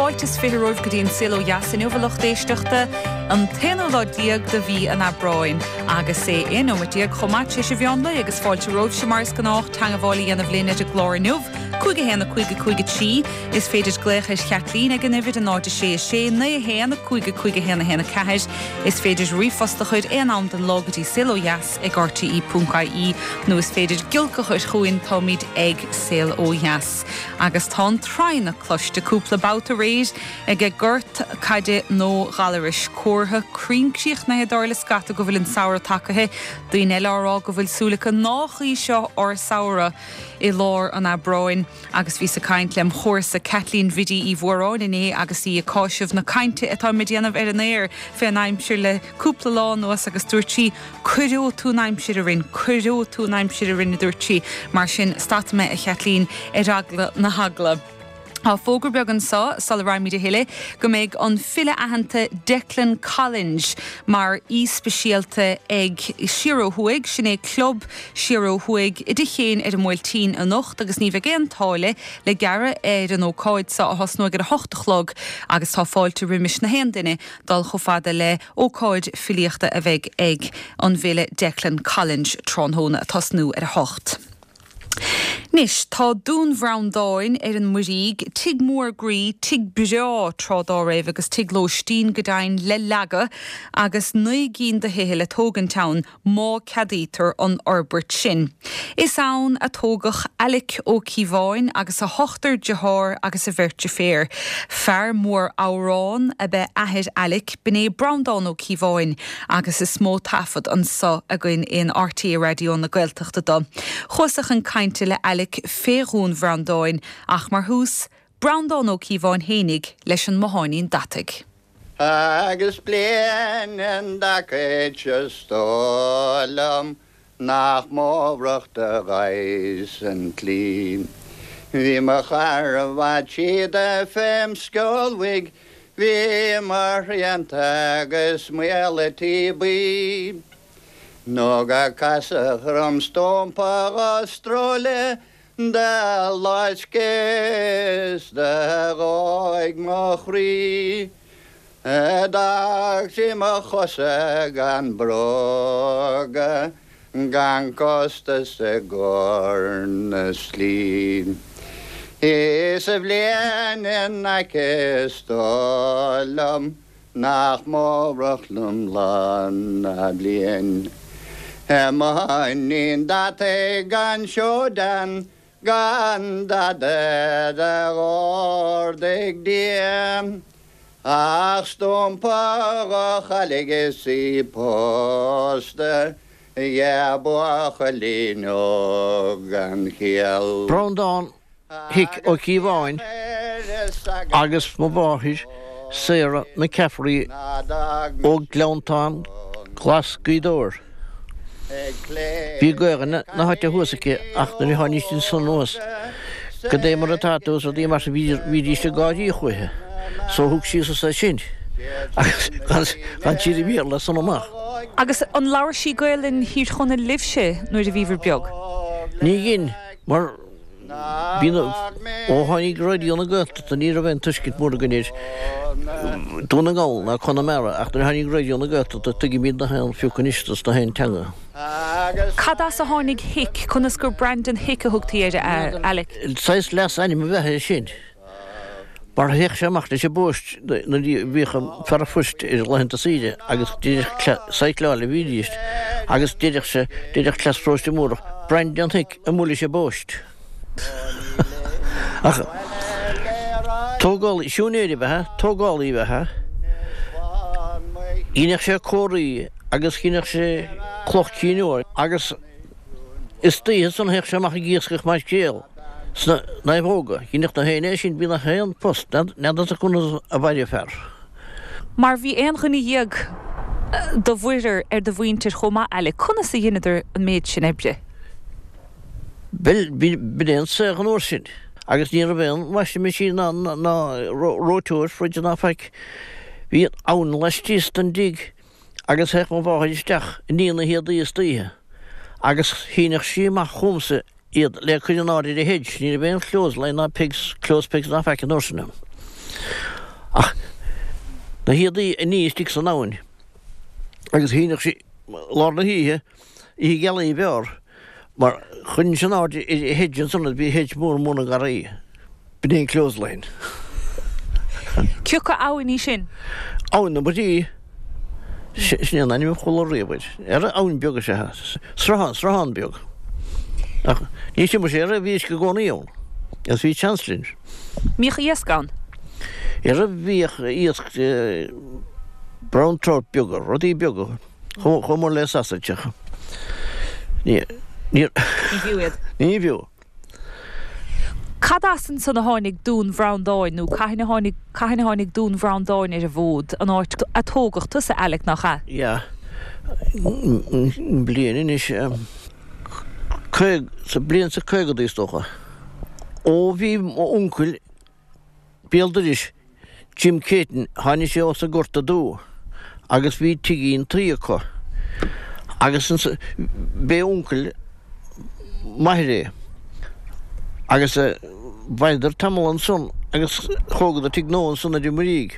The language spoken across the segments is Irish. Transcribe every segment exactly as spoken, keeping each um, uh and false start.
Fáilte is fiche romhaibh go dtí an Saol Ó Dheas inniu a lucht éisteachta an t-aonú lá déag de mhí an Aibreáin agus é aon nóiméad déag chomh maith tar éis an mheán lae agus fáilte romhaibhse mar is gnách teagmháil a dhéanamh linn ar an gclár inniu. Cúig a haon a cúig a cúig a trí is féidir glaoch ar Chaitlín ag an uimhir a náid a sé a sé naoi haon a cúig a cúig a haon a haon a ceathair is féidir ríomhphost a chur aon am den lá go dtí saol ó dheas ag RTE ponc IE nó is féidir giolc a chur chugainn táimid ag Saol Ó Dheas. Agus tá an traidhneach cloiste cúpla babhta aréir ag ag gort caide nó Ghallarais comhartha cruinn críochnaithe dar le scata go bhfuil an samhradh tagtha, daoine eile á rá go bhfuil súil acu nach í seo ár samhradh i lár an Aibreáin agus bhíos ag caint lem chomharsa Kathleen Bhiddy Uí Mhóráin inné agus í ag cáiseamh na cainte atá muid a dhéanamh ar an aer fén aimsir le cúpla lá anuas agus dúirt sí cuireoidh tú an aimsir orainn, cuireoidh tú an aimsir orainn a dúirt sí, mar sin stadfaidh mé a Chaitlín ar eagla na heagla. Tá fógra beag anseo sula rachaimid a thuilleadh go mbeidh an file aitheanta Declan Collins mar aoi speisialta ag Siar Ó Thuaidh, sin é Club Siar Ó Thuaidh i dTigh Chéin ar an mBuailtín anocht agus ní bheidh aon táille le gearradh ar an ócáid seo a thosnóidh ar a hocht a chlog agus tá fáilte roimis na haon duine dul chomh fada le ócáid filíochta a bheidh ag an bhfile Declan Collins tráthnóna ag tosnú ar a hocht. Anois, tá Dún Bhreandáin ar an Muirígh, tigh mór groí, tigh breá tráth dá raibh agus tigh lóistín go deimhin le leagadh agus naoi gcinn de thithe le tógaint ann má ceadaítear an fhorbairt sin. Is ann a tógadh Alec Ó Cíobháin agus a hochtar deartháir agus a bheirt deirféar. Fear mór amhrán ab ea athair Alec, b'in é Breandán Ó Cíobháin agus is mó taifead anseo againn in RTÉ Raidió na Gaeltachta dó. Chuas-sa chun cainte le Alec fé Dhún Bhreandáin ach mar thús, Breandán Ó Cíobháin fhéinig leis an mbotháinín deataigh. Agus bliain i dtaca is dóigh liom nach m'fhobhrach do ghaibhs an tslí. Bhí mo charbhat síoda fém sceol bhig, bhí mo shrianta agus maola tí buí. Nó gur casadh orm stumpa dhá stróile do loisc is do dhóigh mo chroí. D'fhág sí mo chosa gan bróga, gan costas i gcomhair na slí. Is a bhliain in aice is dóigh liom nach m'fhobhrach liom lá ná bliain. Mo bhotháinín deataigh gan seodan gan dada d'ordaigh Dia, ach stumpa dhá chailligh is í pósta dhe buachaillín óg gan chiall. Breandán Hick Ó Cíobháin agus mo mháthair Sarah McCaffrey ó Ghleanntán Glas Gaoth Dobhair. Bhí Gaelainn na háite thuas aici ach nuair a tháinig siad ansan anuas goidé mar atá tú is rudaí mar sin bhídís ag gáirí chúithi so thug sí suas é sin agus d'fhan sí ar an Bhéarla as san amach. Agus an labhair sí Gaelainn Thír Chonaill libhse nuair a bhíobhair beag? Ní dhein, mar Bhí na, ó tháinig Raidió na Gaeltachta ní raibh aon tuiscint mór againn ar Dún na nGall ná Conamara ach nuair a tháinig Raidió na Gaeltachta tuigimid na haon phioc anois dos na haon teanga. Cad as a tháinig Hick? Conas gur Brandon Hick a thugtaí air, a Alec? Saghas leasainm ab ea é sin. Mar théadh sé amach leis an bpost nuair a bhíodh an fear an phoist ar laethanta saoire agus díreach cycleáil a bhídís agus deireadh sé, deireadh cleas Pharóiste Múrach, Brandon Hick amuigh leis an bpost. Ach tógálaí, siúinéir ab ea, tógálaí ab ea. Dheineadh sé comharthaí agus dheineadh sé cloch cinn uair agus istoíche ansan théadh sé amach ag iascach maicréal sna naomhóga. Dheineadh na héinne é sin, bhí na haon post, n'fheadar conas a mhair an fear. Mar bhí aon dhuine dhéag de mhuirear ar do mhuintir chomh maith, Alec. Conas a dheineadar an méid sin oibre? Bhuel, b'in é an saol an uair sin agus ní raibh aon washing machine ná ná reoiteoir fridge ná faic. Bhí an abhainn laistíos den dtigh Agus théadh mo mháthair isteach ag ní na héadaí istoíche agus shíneadh sí amach chugamsa iad le cur in airde ar an hedge, ní raibh aon clothes line ná pegs, clothes pegs ná faic an uair sin ann. Ach na héadaí a ní istigh san abhainn agus shíneadh sí lár na hoíche, oíche ghealaí b'fhearr, mar choinnigh sin aird ar an hedge ansan, bhí hedge mór mór na ngarraí. B'in é an clothesline. Cé acu abhainn í sin? Abhainn na Muirí. Sin é an ainm a chuala riamh air. Ar abhainn beag is ea é. Sruthán, sruthán beag. Ach ní sin sé ar bhí uisce i gcónaí ann. Agus bhí seans linn. Mbíodh iasc ann? Ar bhíodh iasc brown trout beaga, rudaí beaga, chomh chomh mór le sausage ach ní ní Ní fiú iad. Ní fiú. Cad as ansan a tháinig Dún Bhreandáin nó cathain a tháinig cathain a tháinig Dún Bhreandáin ar an bhfód, an áit a tógadh tusa, Alec, nach ea? Yeah. Bliain anois, caog, sa bliain sa caogadaí is dócha. Ó bhí m'uncail béal dorais, Jim Caton, tháinig sé ós an Gort Aduaidh agus bhí tigín tuí acu agus b'é uncail m'athair é agus mhaireadar tamall ansan agus thógadar tigh nua ansan ar an Muirígh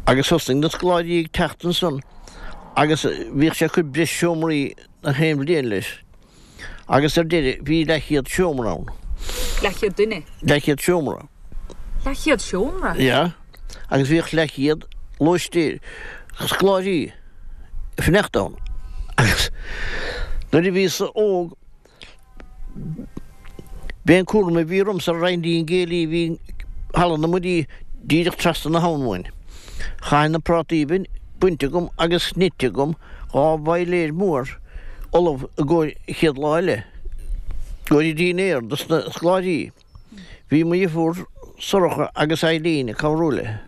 agus thosnaigh na scoláirí ag teacht ansan agus bhíodh sé ag cur breis seomraí na haon bhliain leis agus ar deireadh bhí leathchéad seomra ann. Leathchéad duine? Leathchéad seomra. Leathchéad seomra? Yeah. Agus bhíodh leathchéad lóistéir, scoláirí ag fanacht ann. Agus nuair a bhíos óg, b'é an cúram a bhí ormsa roinnt an gcéilí a bhí Halla na Muirí díreach trasna na habhann uainn. Chaithfinn na prátaí a bheith bainte agam agus nite agam, dhá bhoiléir mór ullamh i gcomhair an chéad lá eile, i gcomhair an dinnéar dos na scoláirí. Bhí mo dheirfiúr Sorcha agus Eileen ag cabhrú léi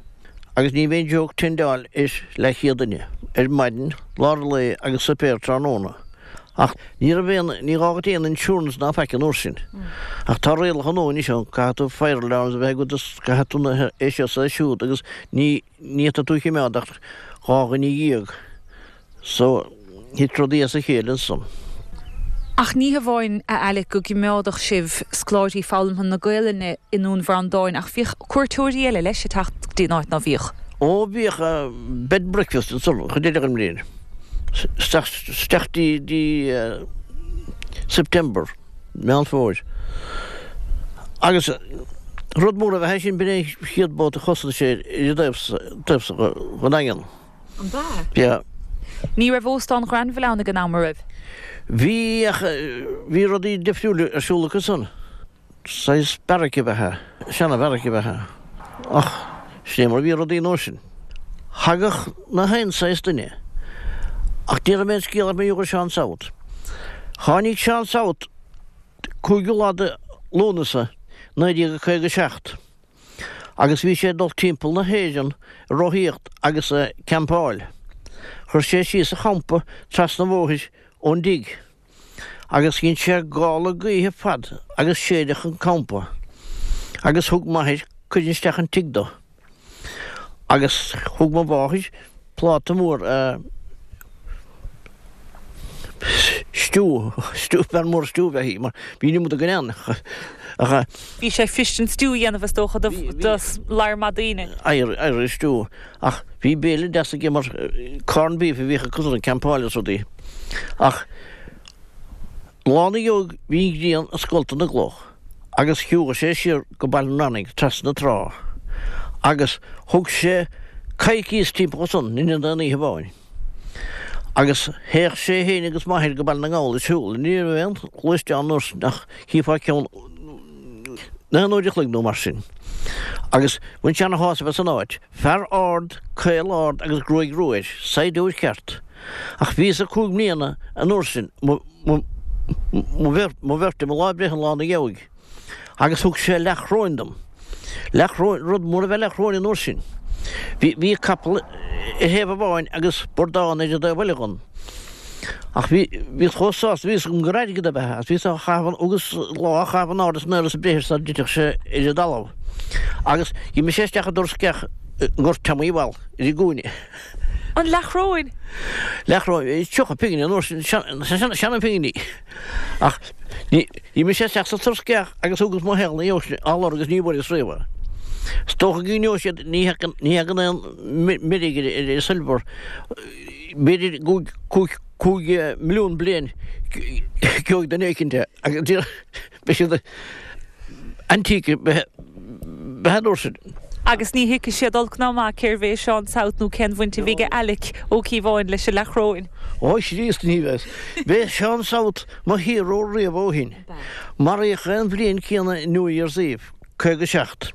agus ní bheinn joke tendeáil ar leathchéad duine ar maidin, lár an lae agus suipéar tráthnóna. Ach ní raibh aon, ní gá dhuit aon insurance ná faic an uair sin. Ach tá rialacha nua anois ann, caithfidh tú fire alarms a bheith agat is caithfidh tú na, é seo is é siúd agus ní, ní fhéadfaidh tú a chimeád ach dhá dhuine dhéag. So, thit rudaí as a chéile ansan. Ach ní hamháin, a Alec, go gcimeádadh sibh scoláirí foghlamtha na Gaelainne i nDún Bhreandáin ach bhíodh cuairteoirí eile leis ag teacht go dtí an áit, ná bhíodh? Ó, bhíodh bed and breakfast ansan chuid eile den mbliain. Isteach, isteach dtí, dtí September, Meán Fómhair. Agus rud mór ab ea é sin, b'in é an chéad boat a chosnaigh sé ar an dtaobh, taobh so den Daingean. An b'ea? Yeah. Ní raibh Óstán Ghranville ann ag an am, an raibh? Bhí, ach bhí rudaí difriúla ar siúl acu san. Saghas beairic ab ea é, seana-bheairic ab ea é. Ach sin é mar a bhí rudaí an uair sin. Thagadh na haon saghas duine. Ach déarfaidh mé an scéal ach mar gheall ar Seán South. Tháinig Seán South cúigiú lá de Lúnasa naoi déag a caoga seacht. Agus bhí sé ag dul timpeall na hÉireann ag rothaíocht agus ag campáil. Chuir sé síos a champa trasna an bhóthair ón dtigh. Agus dhein sé gála gaoithe fad agus séideadh an campa. Agus thug m'athair cuireadh isteach an tigh dó. Agus thug mo mháthair pláta mór stew, stew, bean mhór stew ab ea í, mar bhí an iomad againn ann. Ach. Bhí sé fuirist an stew a dhéanamh is dócha do lear maith daoine. Irish stew. Ach bhí béile deas aige mar corned beef a bhíodh acu ag campáil is rudaí. Ach lá ina dhiaidh bhí an ghrian ag scoltadh na gcloch agus shiúghaigh sé siar go Baile an Rannaigh trasna na trá agus thug sé coicíos timpeall ansan in aon oíche amháin. Agus théadh sé fhéin agus m'athair go Baile na nGall ag siúl. Ní raibh aon ghluaisteán an uair sin ach chífeá ceann na haon uair a chloig nó mar sin. Agus bhain sé ana-shásamh as an áit. Fear ard, caol ard agus gruaig rua air, saighdiúir ceart. Ach bhíos-sa cúig mbliana an uair sin, mo, mo, mo bheirt, mo bheirt, mo lá breithe an lá ina dhiaidh. Agus thug sé leathchróin dom. Leathchróin, rud mór a bheith leathchróin an uair sin. Bhí, bhí capall ar thaobh amháin agus burdán ar an dtaobh eile dhon. Ach bhí, bhíos chomh sásta, bhí fhios agam gur airgead ab ea é, agus bhíos á chaitheamh, thugas lá á chaitheamh in airde is in aer is ag breith air sara dtitfeadh sé ar an dtalamh. Agus d'imigh sé isteach i dtor sceach i nGort Teamaí Bhall, ar an gcúinne. An leathchróin? Leathchróin, tríocha pingin an uair sin, seana-phinginí. Ach d'imigh sé isteach sa tor sceach agus thugas mo shaol ina dhiaidh sin á lorg agus ní bhfuaireas riamh é. Is dócha go gcuimhneoidh siad, ní thagann aon mheirg ar silver, b'fhéidir cúig cúig milliún bliain gheobhaidh duine éicint é agus beidh siad antique beidh an uair sin. Agus ní thuigfidh siad olc ná maith cérbh é Seán South nó cén bhaint a bhí ag Alec Ó Cíobháin leis an Leathchróin. Ó Chríost ní bheas. B'é Seán South mo hero riamh ó shin. Maraíodh é an bhliain céanna New Year's Eve, caoga seacht.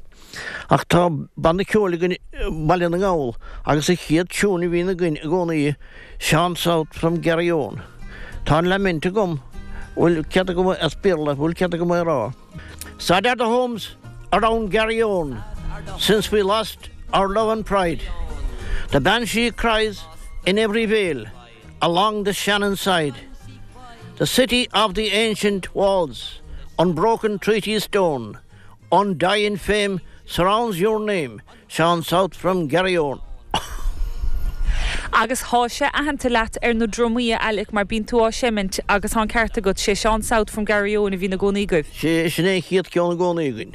Ach tá banna ceoil againn i mBaile na nGall agus an chéad tiún a bhíonn againn i gcónaí Seán South from Garryowen. Tá an lament agam, bhfuil cead agam as Béarla, bhfuil cead agam é a rá? Sad are the homes around Garryowen since we lost our love and pride. The banshee cries in every vale along the Shannon side. The city of the ancient walls, unbroken treaty stone, undying fame surrounds your name, Seán South from Garryowen. Agus thá sé aitheanta leat ar na drumaí a Alec mar bíonn tú á seimint agus thá an ceart agat, sé Seán South from Garryowen a bhíonn i gcónaí agaibh. Sé, sin é an chéad ceann i gcónaí againn.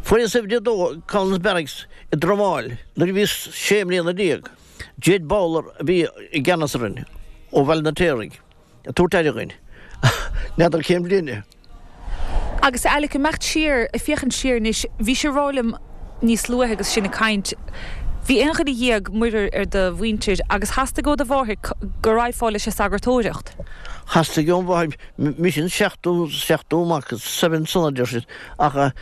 Fuaireas uimhir a dó Collins Barracks i dTromán nuair a bhíos sé mbliana déag. Jed Bowler a bhí i gceannas orainn ó Bhaile an Fheirtéaraigh. Ag tabhairt aire dhuinn. N'fheadar cén bhliain é. Agus Alec, ag imeacht siar, ag féachaint siar anois, bhís ag rá liom níos luaithe agus sinn ag caint, bhí aon dhuine dhéag muirear ar do mhuintir agus theastaigh ó do mháthair go raghfá leis an sagartóireacht. Theastaigh óm mháthair, mise an seachtú, seachtú mac, seventh son a deir siad, ach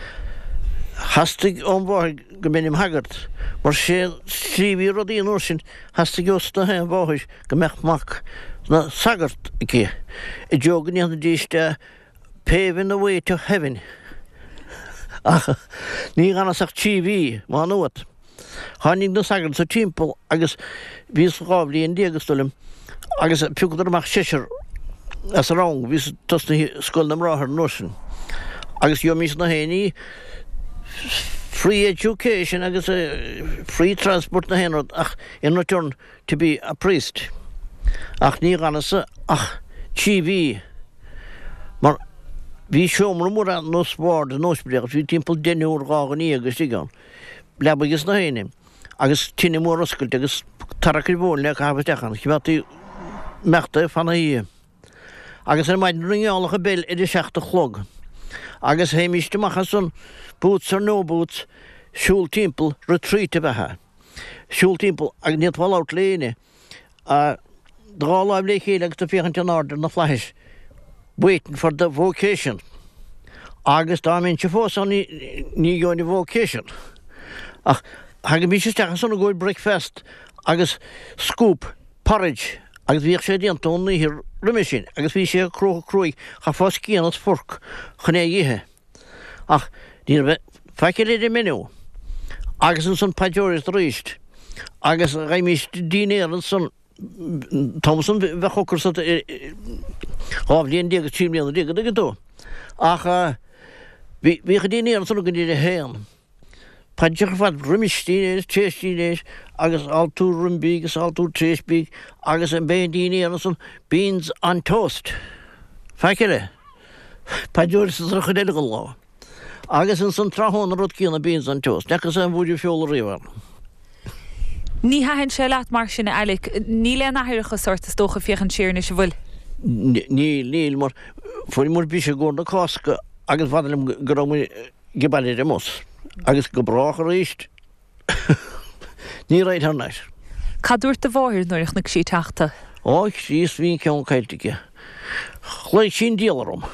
theastaigh óm mháthair go mbeinn im shagart, mar sé an tslí a bhí rudaí an uair sin, theastaigh ós na haon mháthair go mbeadh mac 'na shagart aici, i dtreo go ndéanfaidís de Paving the way to heaven. Ach ní dh'fhanas ach trí mhí, Má Nuat. Tháinig na sagairt sa timpeall agus bhíos dhá bhliain déag is dóigh liom agus phiocadar amach seisear as an rang, bhíos tosnaithe Scoil na mBráthar an uair sin agus gheobhaimis na haon ní, free education agus free transport na haon rud ach in return to be a priest. Ach ní dh'fhanas ach trí mhí mar bhí seomra mór ar nós ward in ospidéal agus bhí timpeall deichniúr dhá dhuine dhéag istigh ann, leabaidh is na haon agus tine mhór oscailte agus tarrac ar mhóin le caitheamh isteach ann, choimeádtaí imeachta fan na hoíche. Agus ar maidin ringeálfadh an bell ar a seacht a chlog agus théimíst amach ansan, boots or no boots, siúl timpeall, retreat ab ea é, siúl timpeall agus ní fhéadfá labhairt le éinne. Do dhá láimh le chéile agus tú ag féachaint in airde ar na flaithis, waiting for the vocation. Agus dá mbeinnse fós ann ní gheobhainn an vocation. Ach thagaimís isteach ansan i gcomhair bricfeast agus scoop porridge agus bhíodh sé déanta ón oíche roimhe sin agus bhí sé cruaidh cruaidh, chaithfeá scian is forc chun é a ithe. Ach ní raibh faic eile ar an menu. Agus ansan paidreoireacht arís agus gheibhimís dinnéar ansan an t-am san bheadh ocras ort dhá bhliain déag is trí bliana déag an dtuigeann tú. Ach bhí bhíodh an dinnéar ansan againn ar a haon. Paidreacha ar fad roimis dinnéar is tar éis dinnéir agus altú roim bídh is altú tar éis bídh agus an b'é an dinnéar ansan beans on toast. Faic eile. Paidreoireacht an chuid eile den lá. Agus ansan tráthnóna an rud céanna beans on toast. N'fhacas aon bhuaireamh feola riamh ann. Ní thaitin sé leat mar sin, a Alec. Níl aon aithreachas ort, is dócha, féachaint siar anois, an bhfuil? Níl, níl, mar fuair muid briseadh i gcomhair na Cásca agus b'fhada liom go raibh muid ag baile ar an mbus. Agus go brách arís. Ní raghainn thar n-ais. Cad dúirt do mháthair nuair a chonaic sí ag teacht tú? Ó, a Chríost, bhí an ceann caillte aici. Ghlaoigh sí an diabhal orm.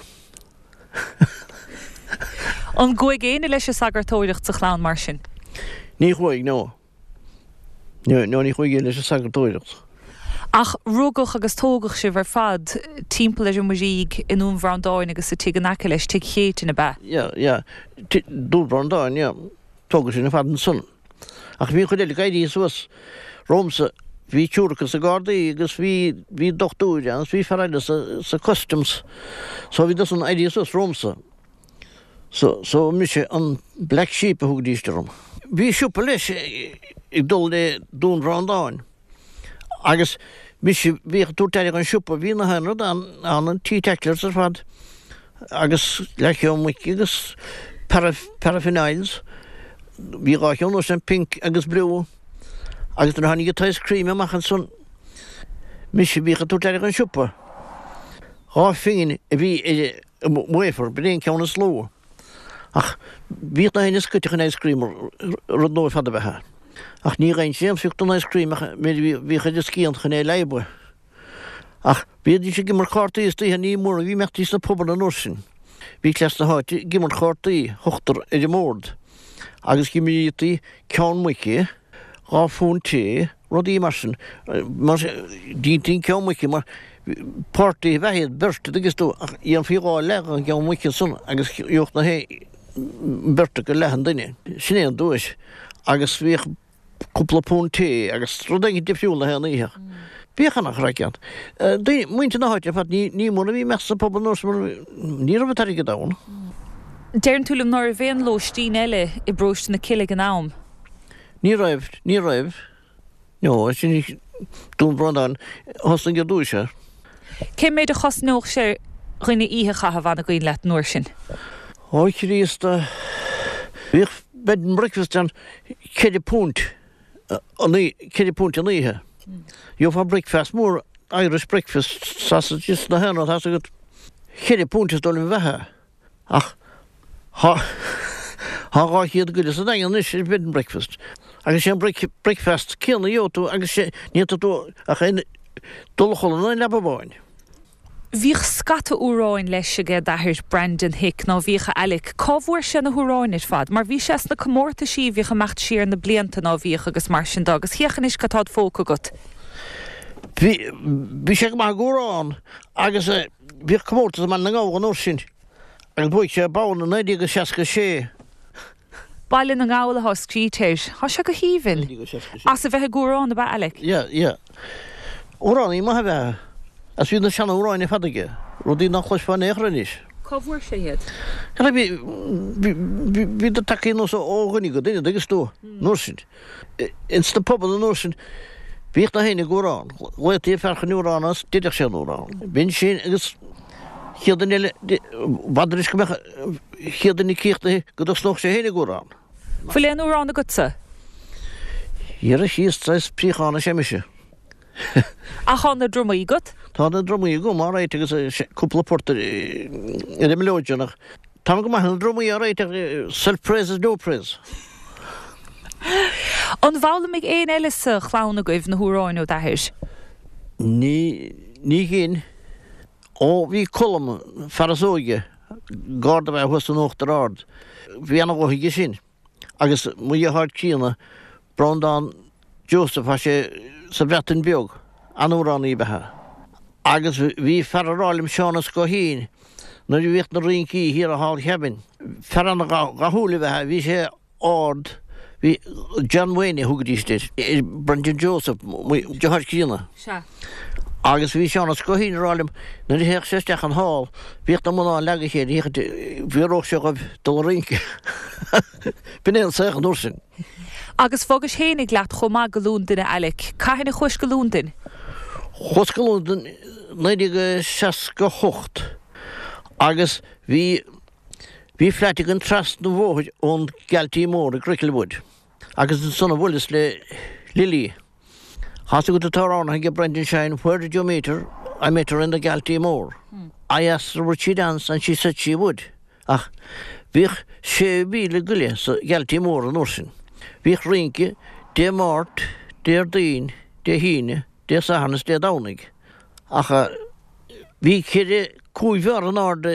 An gcuaigh éinne leis an sagartóireacht sa chlann mar sin? Ní chuaigh, no. No, no, ní chuaigh éinne leis an sagartóireacht. Ach rugadh agus tógadh sibh ar fad timpeall ar an Muirígh i nDún Bhreandáin agus sa tigh in aice leis, Tigh Chéitinn, ab ea? Yeah, yeah. Dún Bhreandáin, yeah. Tógadh sinn ar fad ansan. Ach bhí an chuid eile ag éirí suas romhamsa. Bhí triúr acu sna Gardaí agus bhí, bhí dochtúir ann agus bhí fear eile sa, sa Customs. So bhí san éirithe suas romhamsa. So, so mise an black sheep a thugaidís orm. Bhí siopa leis ag dul le Dún Bhreandáin agus mise bhíodh ag tabhairt aire don siopa. Bhí na haon rud ann, ann an teetotalers ar fad agus leathcheann muice agus paraffin oils. Bhí dhá cheann uair sin, pink agus blue. Agus nuair a tháinig an t-ice cream amach ansan, mise a bhíodh ag tabhairt aire don siopa. Dhá phingin a bhí ar an wafer, b'in é an ceann is lú. Ach bhíodh na héinne scoite chun ice cream, rud nua ar fad ab ea é. Ach ní gheibhinnse aon phioc den ice cream ach méid a bhíodh ar an scian chun é a leadhbadh. Ach bhídís ag imirt cártaí istoíche, ní mór a bhí imeachtaí sna pubanna an uair sin. Bhí cleas na háite ag imirt chártaí, ochtar ar an mbord, agus d'imrítí ceann muice, dhá phunt tae, rudaí mar sin. Mar dheintí an ceann muice mar páirtí ab ea iad, beirt, an dtuigeann tú, ach dhéanfaí dhá leath den gceann muice ansan agus gheobhadh na beirt acu leath an duine. Sin é an duais. Agus bhíodh cúpla punt tae agus rud éigin difriúil na haon oíche. Bhíodh ana-chraic ann. Daoine, muintir na háite ar fad, ní, ní mór a bhí imeacht sa phub an uair sin mar ní raibh an t-airgead ann. Deireann tú liom ná raibh aon lóistín eile i bparóiste na Cille ag an am? Ní raibh, ní raibh. No, sin Dún Bhreandáin, thosnaigh ar dtúis é. Cé méid a chosnódh sé ar dhuine oíche a chaitheamh an cuimhin leat an uair sin? Ó Chríost, bhíodh bed and breakfast ann ceithre punt an ceithre punt an oíche. Gheofá breakfast mór, Irish breakfast, sausages na haon rud, tá's agat, ceithre punt is dóigh liom a bheith é. Ach thá thá dhá chéad go leith sa Daingean anois ar bed and breakfast. Agus sé an breakfast céanna a gheobhaidh tú agus sé ní fhéadfaidh tú ach aon dul a chodladh in aon leaba amháin. Bhíodh scata amhráin leis aige d'athair Brandon Hick, ná bhíodh a Alec? Cá bhfuair sé na hamhráin ar fad? Mar bhí sé sna comórtaisí a bhíodh ag imeacht siar na blianta, ná bhíodh, agus mar sin de, agus féach anois cad tá id phóca agat. Bhí, bhí sé go maith ag amhrán agus bhíodh comórtas i mBaile na nGall an uair sin agus bhuaigh sé bonn i naoi déag a seasca sé. Baile na nGall atá scríte air. Tá sé go haoibhinn. As a bheith ag amhrán ab ea, Alec? Yeah, yeah. Amhránaí maith ab ea é. Agus bhí na seanamhráin ar fad aige, rudaí nach gcloisfeá in aon chor anois. Cá bhfuair sé iad? Bhí, bhí, bhí, bhíodar tagtha anuas ó dhuine go duine, an dtuigeann tú, an uair sin. Ins na pubanna an uair sin, bhíodh na héinne ag amhrán. Ghlaotaí ar fear chun amhrán agus deireadh sé an amhrán. B'in sin agus chéad duine eile, b'fhada anois go mbeadh an chéad duine críochnaithe go dtosnódh sé féin ag amhrán. Bhfuil aon amhrán agatsa? Dhera Chríost, saghas préachán is ea mise. Ach tá na drumaí agat? Tá na drumaí agam, alright, agus cúpla port ar an mileoidean ach táim go maith ar na drumaí, alright, ach self-praise is no praise. An bhfoghlaimigh aon eile sa chlann agaibh na hamhráin ó d'athair? Ní, ní hin. Ó, bhí Colm, fear is óige, garda ab ea thuas in Uachtar Ard, bhí ana-ghuth aige sin. Agus mo dheartháir críonna, Breandán Joseph, tá sé sa Bhreatain Bheag, an-amhránaí ab ea é. Agus bhí fear ag rá liom, Seán Ó Scoithín, nuair a bhíodh na rincí thiar i Hall Cabin, fear an-dhathúil ab ea é, bhí sé ard, bhí, John Wayne a thugaidís air, ar Brendan Joseph, mo dheartháir críonna. Sea. Agus bhí Seán Ó Scoithín ag rá liom, nuair a théadh sé isteach an hall, bhíodh na mná ag leagadh a chéile, féachaint an bhfíoródh sé dhóibh dul a rince. B'in é an saol an uair sin. Agus bhogais fhéinig leat chomh maith go Londain, a Alec. Cathain a chuais go Londain? Chuas go Londain naoi déag seasca a hocht agus bhí, bhí flat againn trasna an bhóthair ón Galtee Mór i Cricklewood agus ansan a bhuaileas le Lily. Tá's agat an t-amhrán ag Brendan Shine, Where did you meet her? I met her in the Galtee Mór. I asked her would she dance and she said she would. Ach bhíodh sé mhíle go leith sa Ghaltee Mór an uair sin. Bhíodh rince Dé Máirt, Déardaoin, Dé hAoine, Dé Sathairn is Dé Domhnaigh. Ach bhí ceithre, cúig bheár in airde,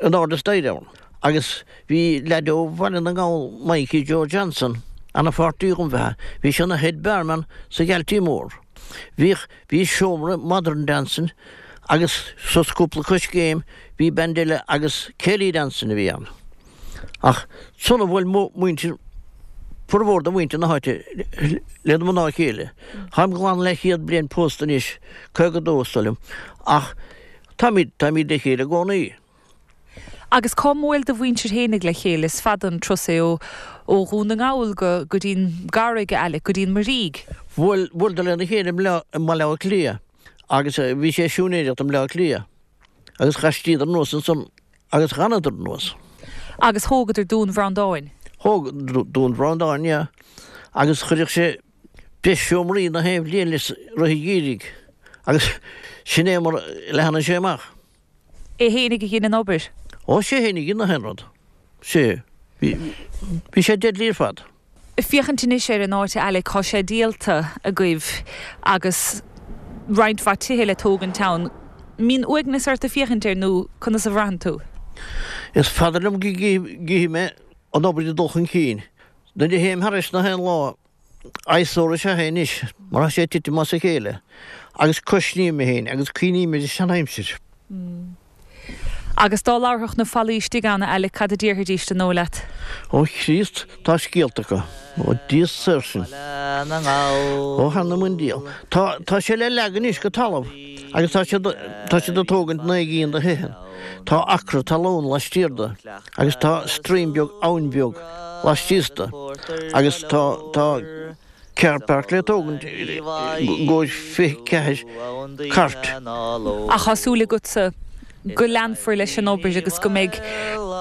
in airde staighre ann. Agus bhí leaid ó Bhaile na nGall, Mikey Joe Johnson, ana-pháirtí dhom bheatha. Bhí sé ina head barman sa Ghaltee Mór. Bhíodh, bhí seomra modern dancing agus suas cúpla coiscéim bhí band eile agus céilí dancing a bhí ann. Ach ansan a bhuail muintir, formhór de mhuintir na háite lena mná céile. Táim glan leathchéad bliain pósta anois, caoga a dó is dóigh liom, ach táimid, táimid le chéile i gcónaí. Agus cá mbuail do mhuintir fhéinig le chéile? Is fada an turas é ó ó Dhún na nGall go go dtí'n gCarraig, a Alec, go dtí'n Muirígh. Bhuail, bhuaileadar lena chéile i mBaile Átha Cliath agus bhí sé ag siúinéireacht i mBaile Átha Cliath agus ghaistíodar anuas ansan agus dh'fhanadar anuas. Agus thógadar Dún Bhreandáin. Thóg Dún Bhreandáin, yeah. Agus chuireadh sé breis seomraí na haon bhliain leis rith an gheimhridh. Agus sin é mar leathnaigh sé amach. É fhéinig a dhein an obair? Ó, sé fhéinig a dhein na haon rud. Sé. Bhí, bhí sé deadly ar fad. Féachaint anois ar an áit a Alec, tá sé díolta agaibh agus roinnt mhaith tithe le tógaint ann. Mbíonn uaigneas ort ag féachaint air nó conas a bhraitheann tú? Is fada liom go gcífidh mé an obair ag dul chun cinn. Nuair a théim thairis na haon lá, eyesore is ea é anois, mar tá sé ag titim as a chéile, agus cuisním mé féin agus cuimhním ar an seanaimsir. Agus dá labharfadh na fallaí istigh ann, a Alec, cad a déarfaidís an dóigh leat? Ó Chríost, tá scéalta acu. Ó Dia saor sinn. Ó th'anam 'on diabhal. Tá, tá sé le leagan anois go talamh agus tá siad, tá siad ag tógaint naoi gcinn de thithe. Tá acra talún laistiar de agus tá stream beag, abhainn bheag, laistíos de agus tá, tá car park le tógaint i gcomhair fiche ceathair cairt. Ach tá súil agatsa go leanfar leis an obair agus go mbeidh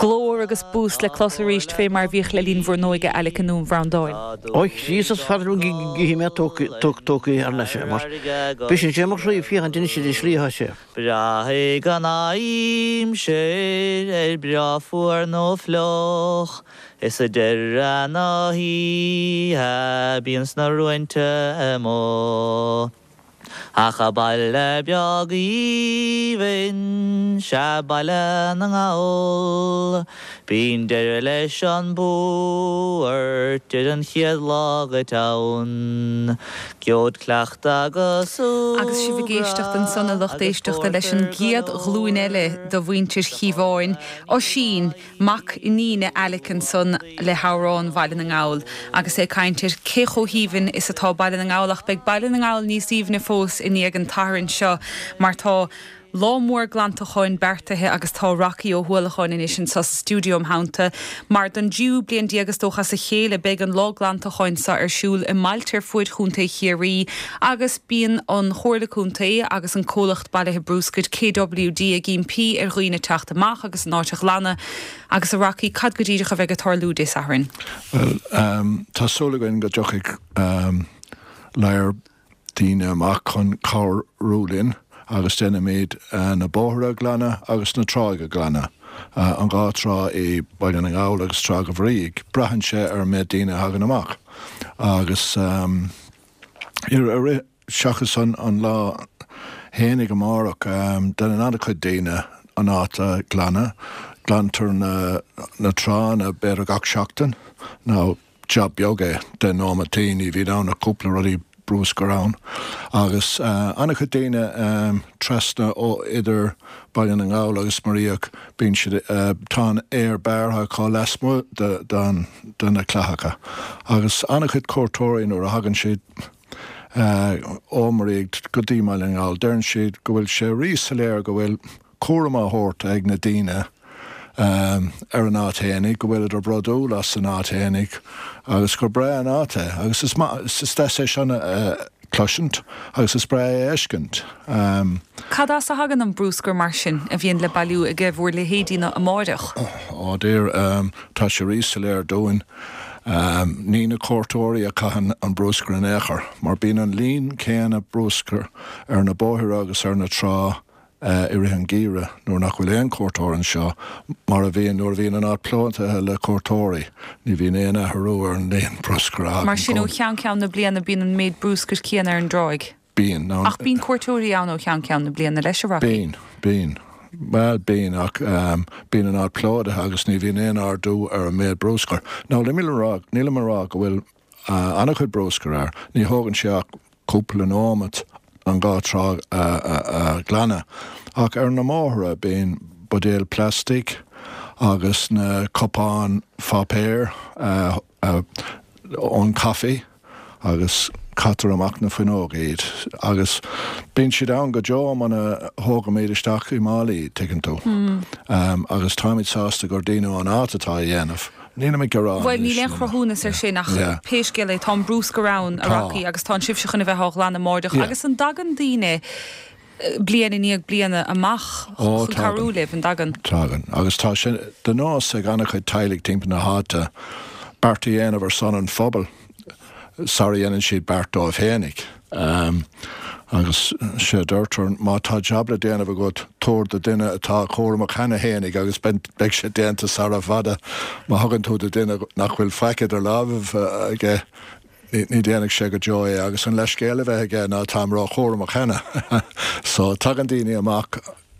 glór agus bús le clos arís fé mar a bhíodh le linn bhur n-óige, Alec i nDún Bhreandáin. Ó Chríost is fada liom go gcífidh mé tógtha thar n-ais é mar briseann sé mo chroí féachaint anois ar an slí atá sé. Braithfidh an aimsir ar breá fuar nó fliuch, is ag deireadh na hoíche bíonn sna ruainte amuigh. Ach a baile beag aoibhinn, sea Baile na nGall, bíonn deireadh leis an buairt ar an chéad lá dhuit ann. Geobhaid cleachtadh agus Agus sibh ag éisteacht ansan, a lucht éisteachta, leis an gcéad ghlúin eile de mhuintir Chíobháin, Oisín, mac iníne Alec ansan le hamhrán Bhaile na nGall agus é ag caint ar cé chomh haoibhinn is atá Baile na nGall ach beidh Baile na nGall níos aoibhne fós i ndiaidh an tSathairn seo mar tá lá mór glantacháin beartaithe agus tá Rocky Ó hUallacháin anois anseo sa stiúideo im theannta mar don dtríú bliain déag is dócha as a chéile beidh an lá glantacháin seo ar siúl i mbailte ar fuaid Chontae Chiarraí agus bíonn an Chomhairle Contae agus an comhlacht bailithe bruscair K W D ag impí ar dhaoine teacht amach agus an áit a ghlanadh. Agus a Rocky, cad go díreach a bheidh ag tarlú Dé Sathairn? Well, um, tá súil againn go dtiocfaidh um, lear daoine amach chun cabhrú linn agus déanfaimid uh, na bóithre a ghlanadh agus na tráigh a ghlanadh. Uh, an dhá trá i Baile na nGall agus Trá Bhrígh, braitheann sé ar an méid daoine a thagann amach. Agus um, seachas an, an lá fhéinig amárach um, déanann an-chuid daoine an áit a ghlanadh, glantar na, na tránna b'fhéidir gach seachtain nó job beag é deich nóiméad, ní bhíonn ann ach cúpla rudaí bruscair ann. Agus uh, an-chuid daoine um, trasna ó idir Baile na nGall agus Muiríoch bíonn siad uh, tá an féar bearrtha acu lasmuigh de, de, de na clathacha. Agus an-chuid cuairteoirí nuair a thagann siad uh, ó Muiríoch go dtí Baile na nGall, deireann siad go bhfuil sé ríshoiléir go bhfuil cúram á thabhairt ag na daoine um, ar an áit fhéinig, go bhfuil bródúil as an áit fhéinig agus gur breá an áit é agus is is deas é sin uh, cloisint agus is breá é fheiscint. Um, Cad as a thagann an bruscar mar sin a bhíonn le bailiú ag bhur leithéidí na amárach? Ó dear um, tá sé rísoiléir dúinn. Um, ní na cuairteoirí a chaitheann an bruscar in aon chor, mar bíonn an líon céanna bruscair ar na bóithre agus ar na trá uh, i rith an gheimhridh nuair nach bhfuil aon cuairteoir anseo mar a bhíonn nuair a bhíonn an áit plódaithe le cuairteoirí, ní bhíonn aon athrú ar an líon bruscair. Mar sin ó cheann ceann na bliana bíonn an méid bruscair céanna ar an dtráigh. Bíonn. Ach bíonn cuairteoirí ann ó cheann ceann na bliana leis a Rocky. Bíonn, bíonn. Well bíonn ach um, bíonn an áit plódaithe agus ní bhíonn aon ardú ar an méid bruscair. Now nílim rá nílim rá go bhfuil uh, an-chuid bruscair air, ní thógann sé ach cúpla nóiméad an dhá trá a ghlanadh. Ach ar na bóithre bíonn buidéil plastic agus na cupáin pháipéir uh, uh, ón caife agus caitear amach na fuinneog iad agus bíonn siad ann go deo muna thógaimid isteach i málaí tuigeann tú. Mm. Um, agus táimid sásta gur daoine ón áit atá á dhéanamh. Ní mé gorá Well níl aon chruthúnas ar sin ach pé scéal é tá bruscar ann a Rocky agus tá sibhse chun a bheith á ghlanadh amárach agus an dtagann daoine bliain i ndiaidh bliana amach chun cabhrú libh an dtagann. Tagann agus tá sin de nós ag an-chuid teaghlaigh timpeall na háite beart a dhéanamh ar son an phobail sara dhéanann siad beart dóibh fhéinig. Agus sé deirtear má tá jab le déanamh agat tabhair do duine atá cúramach cheana fhéinig agus beidh sé déanta sara bhfada. Má thugann tú do duine nach bhfuil faic idir lámhaibh aige ní dhéanfaidh sé go deo é agus an leithscéal a bheith aige ná táim róchúramach cheana. So tagann daoine amach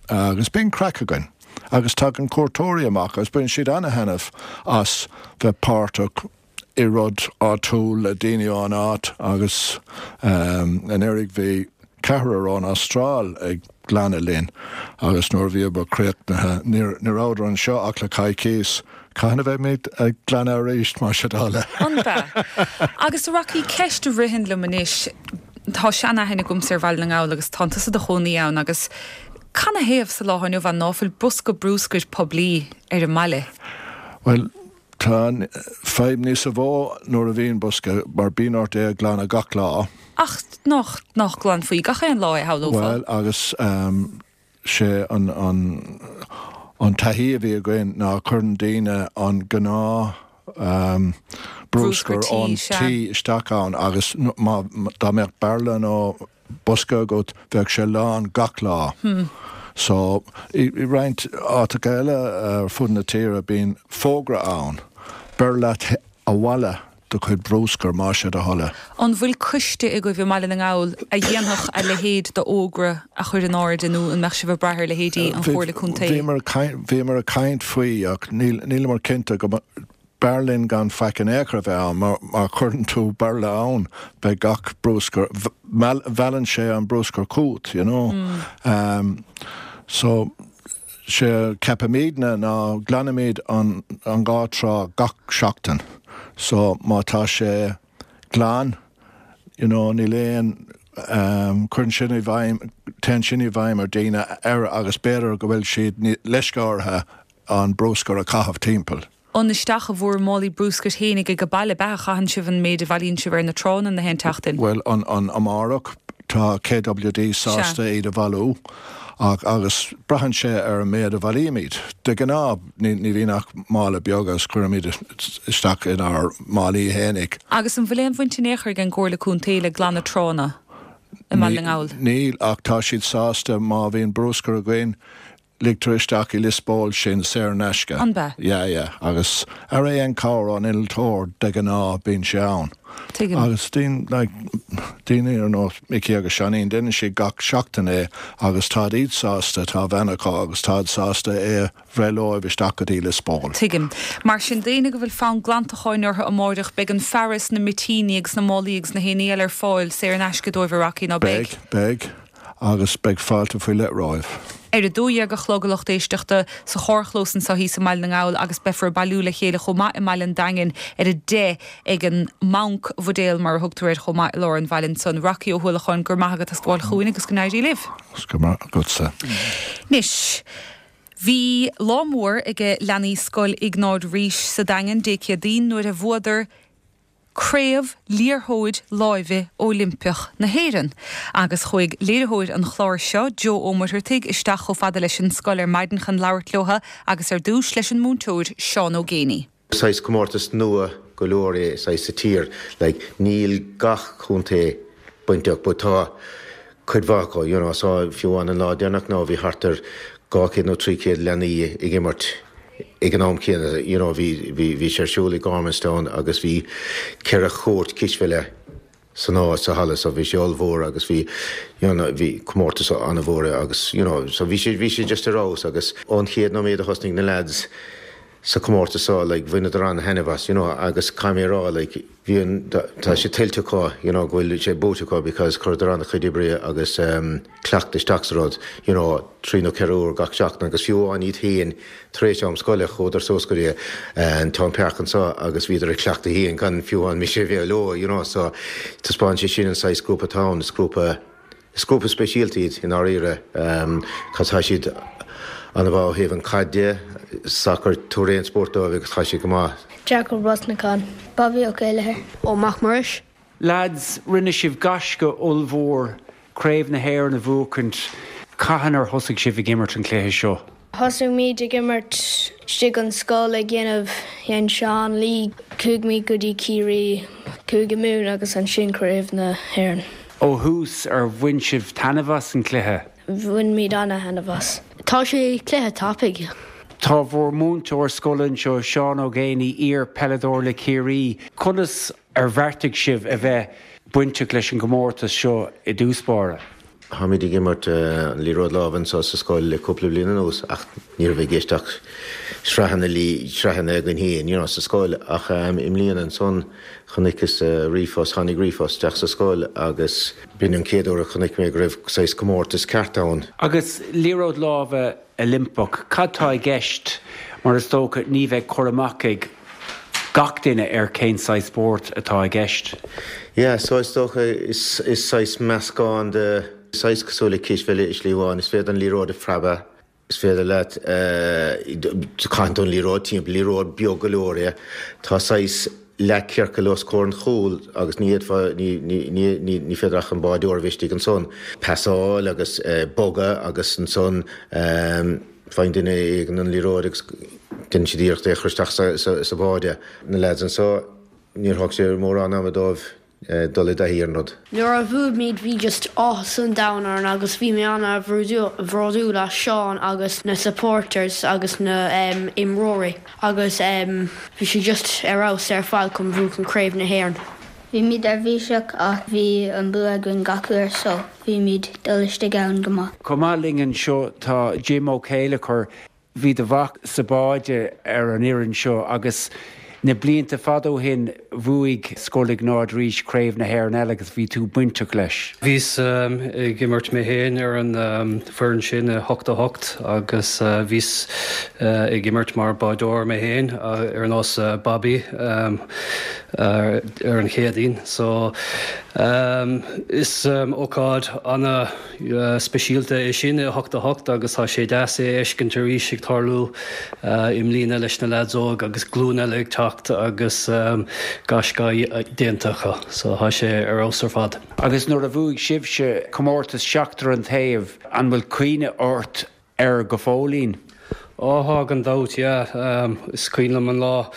agus bíonn craic againn agus tagann cuairteoirí amach agus bíonn siad ana-thaitneamh as bheith páirteach i rud áitiúil le daoine ón áit agus anuraidh bhí ceathrar ón Astráil ag glanadh linn agus nuair a bhíomar críochnaithe ní rabhadar anseo ach le coicís. Cathain a bheimid ag glanadh arís mar sin de? An ea? Agus a Rocky, ceist a ritheann liom anois, tá seanaithne agamsa ar Bhaile na nGall agus tá tusa i do chónaí ann agus canathaobh sa lá inniu ann ná fuil bosca brúscair poiblí ar an mbaile? Bhuel, tá an fadhb níosa mhó nuair a bhíonn bosca mar bíonn ort é a ghlanadh gach lá. Ach nach, nach nglanfaí gach aon lá é, shamhlófá? Bhuel, agus ehm, sé an, an, an taithí a bhí againn ná cuireann daoine an gnáth ehm, Brúscar brúscar tí, ón sea. tí isteach ann agus má, dá mbeadh bairille nó bosca agat bheadh sé lán gach lá. So, i, i roinnt áiteacha eile ar fud na tíre bíonn fógra ann, beir leat abhaile do chuid brúscair más é do thoil é. An bhfuil coiste agaibh i mBaile na nGall a dhéanfadh a leithéid d'fhógra a chur in airde nó an mbeadh sibh ag brath ar leithéidí an Chomhairle Contae? Bhíomar ag caint, bhíomar ag caint faoi ach níl, níleamar cinnte go B'fhearr linn gan faic in aon chor a bheith ann, mar má chuireann tú bairille ann, beidh gach brúscar, meallann sé an brúscar chugat, you know. So, sé a ceapaimidne ná glanaimid an an dhá trá gach seachtain. So, má tá sé glan, you know, níl aon, cuireann sin i bhfeidhm, téann sin i bhfeidhm ar daoine ar agus b'fhéidir go bhfuil siad leisce orthu an brúscar a chaitheamh timpeall. An isteach i bhur málaí brúscair fhéinig ag baile ab ea a chaitheann sibh an méid a bhailíonn sibh ar na tránna na haon tseachtain? Bhuel, an, an, amárach tá KWD sásta iad a bhailiú ach, agus braitheann sé ar an méid a bhailímid. De ghnáth ní, ní bhíonn ach mála beag agus cuirimid isteach inár málaí fhéinig. Agus an bhfuil aon bhaint in aon chor ag an gComhairle Contae le glanadh tránna i mBaile na nGall? Níl, ach tá siad sásta má bhíonn brúscar againn Ligtear isteach i Lios Póil sinn saor in aisce. An bea? Yeah, yeah. Agus ar aon cabhair ón innealtóir de ghnáth bíonn sé ann. Tuigim. Agus daoine, like, daoine ar nós Micí agus Seáinín, déanann siad gach seachtain é agus táid iad sásta, tá veain acu agus táid sásta é a bhreith leo isteach go dtí Lios Póil. Tuigim. Mar sin, daoine go bhfuil fonn glantacháin orthu amáireach, beidh an fearas, na mitíní agus na málaí agus na haon ní eile ar fáil saor in aisce dóibh a Rocky, ná beidh? Beidh, beidh. Agus beidh fáilte faoi leith romhaibh. Ar a dó dhéag a chlog a lucht éisteachta, sa charrchlós anseo thíos i mBaile na nGall agus beifear ag bailiú le chéile chomh maith i mBaile an Daingin ar a deich ag an mBanc Bhuidéal mar a thugtar air chomh maith i lár an bhaile ansan. Rocky Ó hUallacháin, go raibh maith agat as gabháil chugainn agus go n-éirí libh. Go raibh maith agatsa. Anois, bhí lá mór ag leanaí Scoil Iognáid Rís sa Daingean Dé Céadaoin nuair a bhuadar Craobh Liathróid Láimhe Oilimpeach na hÉireann agus chuaigh léiritheoir an chláir seo, Joe Ó Muircheartaigh, isteach chomh fada leis an scoil ar maidin chun labhairt leo agus ar dtús leis an múinteoir Seán Ó Géibheannaigh. Saghas comórtas nua go leor é saghas sa tír like níl gach contae bainteach but tá cuid mhaith acu you know so fiú amháin an lá deireanach now bhí thart ar dhá chéad nó trí chéad leanaí ag imirt ag an am céanna you know bhí bhí bhí sé ar siúl i Gormanstown agus bhí ceithre chúirt cispheile san áit sa halla so bhí sé ollmhór agus bhí you know bhí comórtas an-mhór agus you know so bhí sé bhí sé just ar fheabhas agus ón chéad nóiméad a thosnaigh na lads sa chomórtas seo like bhaineadar an-thaitneamh as you know agus caithfidh mé a rá like bhí an tá sé tuillte acu you know go bhfuil sé buaite acu because chuireadar an-chuid oibre agus um cleachtadh isteach sa rud you know trí nó ceithre uair gach seachtain agus fiú amháin iad féin tar éis am scoile chuadar suas go dtí an Town Park anseo agus bhíodar ag cleachtadh féin gan fiú amháin mise a bheith leo you know so taispeánann sé sin an saghas grúpa atá ann is grúpa Is grúpa speisialta iad i ndáiríre. Tá siad an-mhaith ó thaobh an caid de, sacar, tabhair aon spórt dóibh agus tá siad go maith. Jacob Brosnachan, Bobby Ó Céileathair. Ó Mac Muiris. Lads, rinne sibh gaisce ollmhór, Craobh na hÉireann a bhuachaint. Cathain ar thosaigh sibh ag imirt an cluiche seo? Thosaigh ag imirt istigh an scoil ag déanamh an Sean League chuaigh muid go dtí Ciarraí Cúige Mumhan agus ansin Craobh na hÉireann. Ó thús ar bhain sibh taitneamh as an cluiche. Bhain muid an-taitneamh as. Tá sé cluiche tapaidh. Tá bhur múinteoir scoile anseo Seán Ó Géibheannaigh iar-pheileadóir le Ciarraí. Conas ar bheartaigh sibh a bheith bainteach leis an gcomórtas seo i dtús báire. Táimid ag imirt an liathróid láimhe anseo sa scoil le cúpla bliain anuas ach ní raibh i gceist ach sraitheanna lí sraitheanna againn féin you know, sa scoil ach um, i mbliana ansan chonaiceas uh, ríomhphost tháinig ríomhphost isteach sa scoil agus b'in an chéad uair a chonaic mé go raibh saghas comórtas ceart ann. Agus liathróid láimhe Oilimpeach, cad tá i gceist mar is dócha ní bheidh cur amach ag gach duine ar cén saghas spórt atá i gceist. Yeah, so is dócha is, is saghas meascán de saghas cosúil le cispheil i slí amháin, is féidir an liathróid a phreabadh, is féidir leat caitheamh an liathróid timpeall liathróid beag go leor é. Tá saghas leathchiorcal os comhair an chúil agus ní ní ní féidir ach an bádóir a bheith istigh ansan. Pasáil agus uh, bogadh agus ansan um, faigheann duine éigin an liathróid agus déanann siad iarracht é a chur isteach sa, sa, sa bháide. Na lads anseo níor thóg sé mórán ama dóibh uh, dul i dtaithí ar an rud. Nuair a bhuaigh muid bhí just áthas an domhain orainn agus bhí mé an-bhródúil as Seán agus na supporters agus na um, imreoirí agus um, bhí sé just ar fheabhas ar fad chun buachan Craobh na hÉireann. Bhí muid neirbhíseach ach bhí an bua againn gach uair so bhí muid dul isteach ann go maith. Chomh maith linn anseo tá Jim Ó Céileachair bhí do mhac sa bháide ar an fhoireann seo agus na blianta fada ó shin bhuaigh Scoil Iognáid Rís Craobh na hÉireann eile agus bhí tú bainteach leis. Bhíos um, ag imirt mé féin ar an um, foireann sin i hocht a hocht agus uh, bhíos uh, ag imirt mar bádóir mé féin uh, ar nós uh, Bobby um, uh, ar an Chéadaoin. So um, is um, ócáid ana uh, speisialta é sin i hocht a hocht agus tá sé deas é fheiscint arís ag tarlú uh, i mbliana leis na lads óg agus glúin eile ag teacht agus um, gaisce déanta acu, so tá sé ar fheabhas ar fad. Agus nuair a bhuaigh sibhse comórtas seachtar an taobh an bhfuil cuimhne ort air go fóillín. Á gan dabht um, is cuimhin liom an lá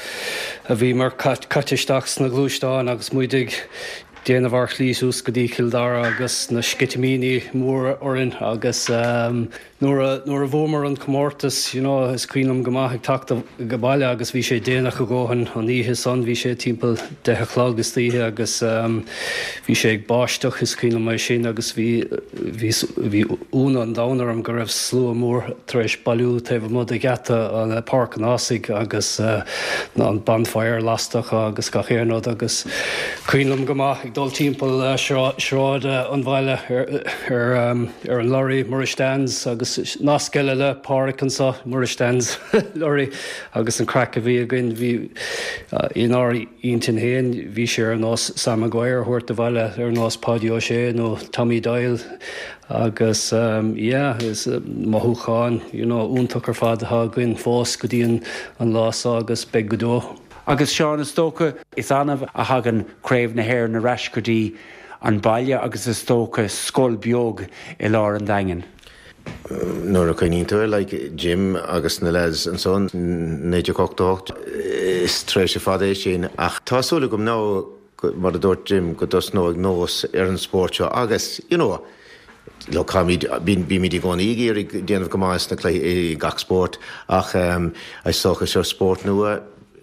a bhí mar caite isteach sna gluaisteáin agus muid ag déanamh ár slí suas go dtí Cill Dara agus na sceitimíní móra orainn agus um, nuair a bhuamar an comórtas you know, is cuimhin liom go maith ag teacht go baile agus bhí sé déanach go dóthain an oíche san bhí sé timpeall deich a chlog istoíche agus um, bhí sé ag báisteach is cuimhin liom é sin agus bhí bhí ionadh an domhain orm go raibh slua mór tar éis bailiú taobh amuigh de gheata an Páirc an Ághasaigh agus uh, an bonfire lasta agus gach aon rud agus cuimhin liom go maith ag dul timpeall uh, sráid an bhaile ar, ar, um, ar an lorry Muiris Dans agus nasc eile le Pádraic anseo Muiris Dans lorry agus an craic a bhí againn bhí uh, inár intinn féin bhí sé ar nós Sam Maguire thuirt de bhaile ar nós Páidí Ó Sé nó Tommy Doyle agus um, yeah, is uh, mothúchán you know, iontach ar fad atá againn fós go dtí an, an lá seo agus beidh go deo. Agus Seán is dócha is annamh a thagann Craobh na hÉireann ar ais go dtí an baile agus is dócha scoil beag i lár an Daingin. Nuair a chuimhníonn tú like Jim agus na lads ansan naoi déag ochtó hocht is tréimhse fada é sin ach tá súil agam ná mar a dúirt Jim go dtosnóidh nós ar an spórt seo agus you know, lo bímid i gcónaí ag iarraidh déanamh go maith sna cluichí i gach spórt ach um, is dócha seo spórt nua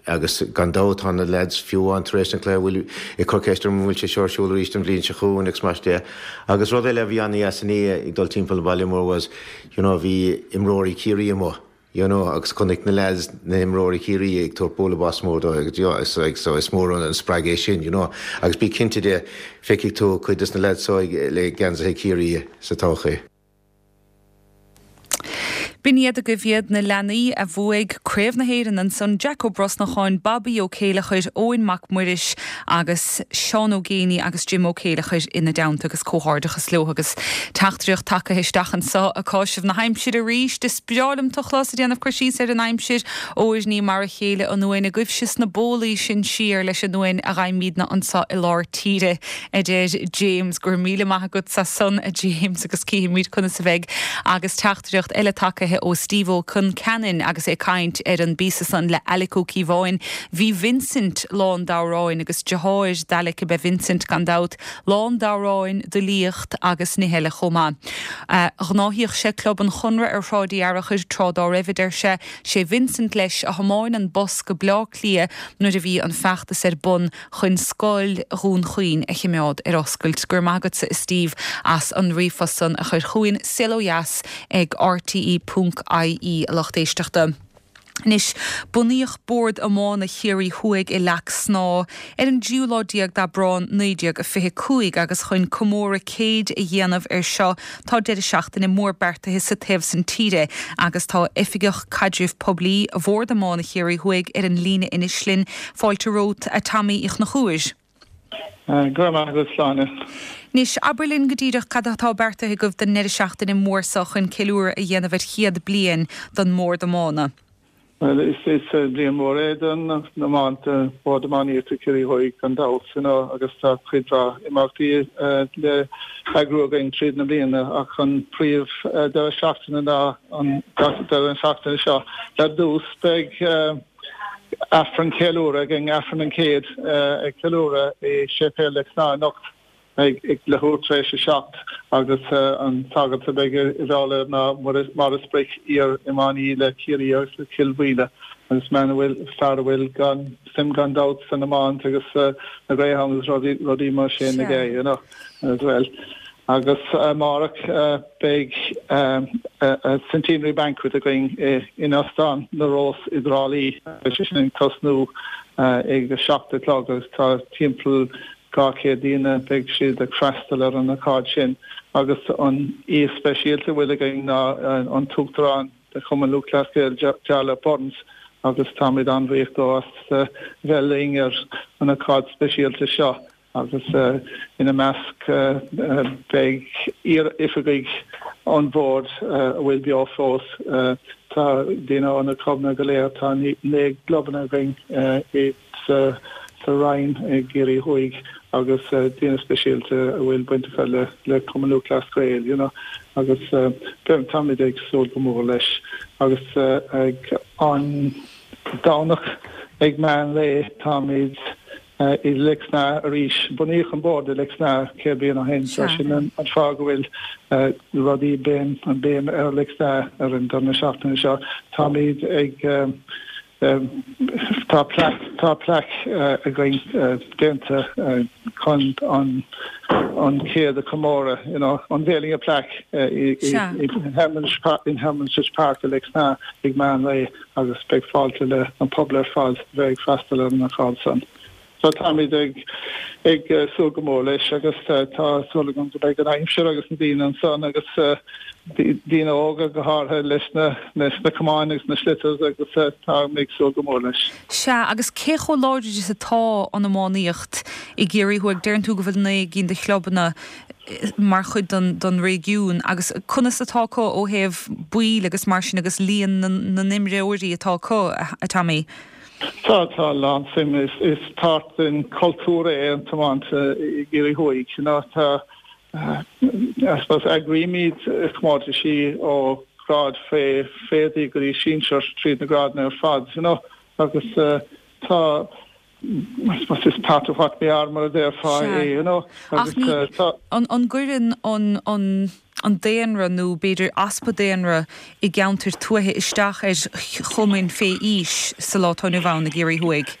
agus gan dabht tá na lads fiú an tar éis an chluiche bhfuil ag cur ceist orm bhfuil sé seo ar siúl arís an bhliain seo chugainn agus mar de. Agus rud eile bhí an-deas ag dul timpeall baile mór was you know, bhí imreoirí Ciarraí amuigh. You know, agus chonaic na lads na himreoirí Ciarraí ag tabhairt bualadh bos mór dó agus yeah, is, like, so is mór an spreagadh é sin, you know. agus bí cinnte de feicfidh tú cuid des na lads so le geansaithe Ciarraí sa todhchaí. B'in iad agaibh iad na leanaí a bhuaigh Craobh na hÉireann ansan Jack Ó Brosnacháin, Bobby Ó Céileachair, Eoin Mac Muiris agus Seán Ó Géibheannaigh agus Jim Ó Céileachair ina dteannta agus comhghairdeachas leo agus teachtaireacht tagtha isteach anseo ag cáiseamh na haimsire arís is breá liom tú a chlos ag déanamh cur síos ar an aimsir óir ní mar a chéile an uain a ghabh sna bólaí sin siar leis an uain a gheibhimidne anseo i lár tíre a deir James gur míle maith agat as san a James agus cífimid conas a bheidh agus teachtaireacht eile tagtha cloiste ó Steve Ó Conceanainn agus é ag caint ar an bpíosa san le Alec Ó Cíobháin. Bhí Vincent lán d'amhráin agus deartháir d'Alec ab ea Vincent gan dabht, lán d'amhráin, de fhilíocht agus nithe eile chomh maith. Ghnáthaíodh sé Club an Chonradh ar Shráid Uí Fhearchair tráth dá raibh, a deir sé, sé Vincent leis a thiomáin an bus go Bleá Cliath nuair a bhí an feachtas ar bun chun scoil Dhún Chaoin a chimeád ar oscailt. Go raibh maith agatsa a Steve as an ríomhphost san a chur chugainn saol ó dheas ag R T E ponc I E a lucht éisteachta. Anois, bunaíodh Bord Iomána Chiarraí Thuaidh i Leac Snáth ar an dtríú lá déag d'Aibreán naoi déag a fiche cúig agus chun comóradh céid a dhéanamh ar seo tá deireadh seachtaine mór beartaithe sa taobh san tíre agus tá Oifigeach Caidrimh Poiblí Bhord Iomána Chiarraí Thuaidh ar an líne anois linn. Fáilte romhat a Tommy Uí Chonchúir. Go raibh maith agat, Sláine. Anois, abair linn go díreach cad atá beartaithe agaibh don ndeireadh seachtaine mór seo chun ceiliúradh a dhéanamh ar chéad bliain don mBord Iomána. Well, is is bliain mhór é don iomáint, Bord Iománaíochta Chiarraí Thuaidh gan dabht, you know, agus tá cuid mhaith imeachtaí le heagrú againn tríd na bliana ach an príomh deireadh seachtaine ná an deireadh seachtaine seo. Ar dtús beidh Aifreann ceiliúradh againn, Aifreann an chéad ag ceiliúradh i Séipéal Leic Snáth anocht ag ag leathuair tar éis a seacht agus an sagart a bheidh i bhfeighil ná Maurice Brick, iar-iománaí le Ciarraí agus le Cill Mhaoile agus man a bhfuil fear a bhfuil gan suim gan dabht san iomáint agus na Greyhounds rudaí rudaí mar sin aige, you know, as well. Agus amárach beidh centenary banquet againn in Óstán na Rós i dTrá Lí agus sin ag tosnú ag a seacht a chlog agus tá timpeall dhá chéad daoine beidh siad ag freastal ar an ócáid sin agus an aoi speisialta a bhfuil againn ná an tUachtarán de Chumann Lúthchleas Gael Jarlath Burns agus táimid an-bhuíoch dó as bheith linn ar an ócáid speisialta seo agus ina measc beidh iar-oifigigh an bhoird a bhfuil beo fós. Tá daoine ó na clubanna go léir, tá naoi gclubanna againn i sa sa Roinn i gCiarraí Thuaidh agus daoine speisialta a bhfuil baint acu le le Cumann Lúthchleas Gael, you know, agus táimid ag súil go mór leis agus ag an Domhnach ag meán lae táimid i Leic Snáth arís. Bunaíodh an bord i Leic Snáth céad bliain ó shin, so sin an fáth go bhfuil rudaí béim an béim ar Leic Snáth ar an deireadh seachtaine seo. Táimid ag tá plaic tá plaic againn déanta chun an an céad a chomóradh, you know, unveiling a plaque i in Herman's Park i Leic Snáth ag meán lae agus beidh fáilte le an pobal ar fad bheith ag freastal ar an ócáid san. So táimid ag ag súil go mór leis agus tá súil agam go mbeidh an aimsir agus na daoine ansan agus daoine óga go háirithe leis na leis na camáin agus na sliotars agus tá ag súil go mór leis. Sea, agus cé chomh láidir is atá an iománaíocht i gCiarraí Thuaidh deireann tú go bhfuil naoi gcinn de chlubanna mar chuid don don réigiún agus conas atá acu ó thaobh baill agus mar sin agus líon na n-imreoirí atá acu a Tommy. Tá tá lán suim is is páirt den cultúr é an tiomáint i gCiarraí Thuaidh you know, tá I suppose eagraímid comórtaisí ó grád fé féadaí go dtí sinsir tríd na grádanna ar fad you know, agus uh, tá I suppose is part of what we are mar a déarfá é you know, agus uh, tá an an gcuireann an an an daonra nó b'fhéidir easpa daonra i gceantar tuaithe isteach ar chumainn fé aois sa lá atá inniu ann i gCiarraí Thuaidh.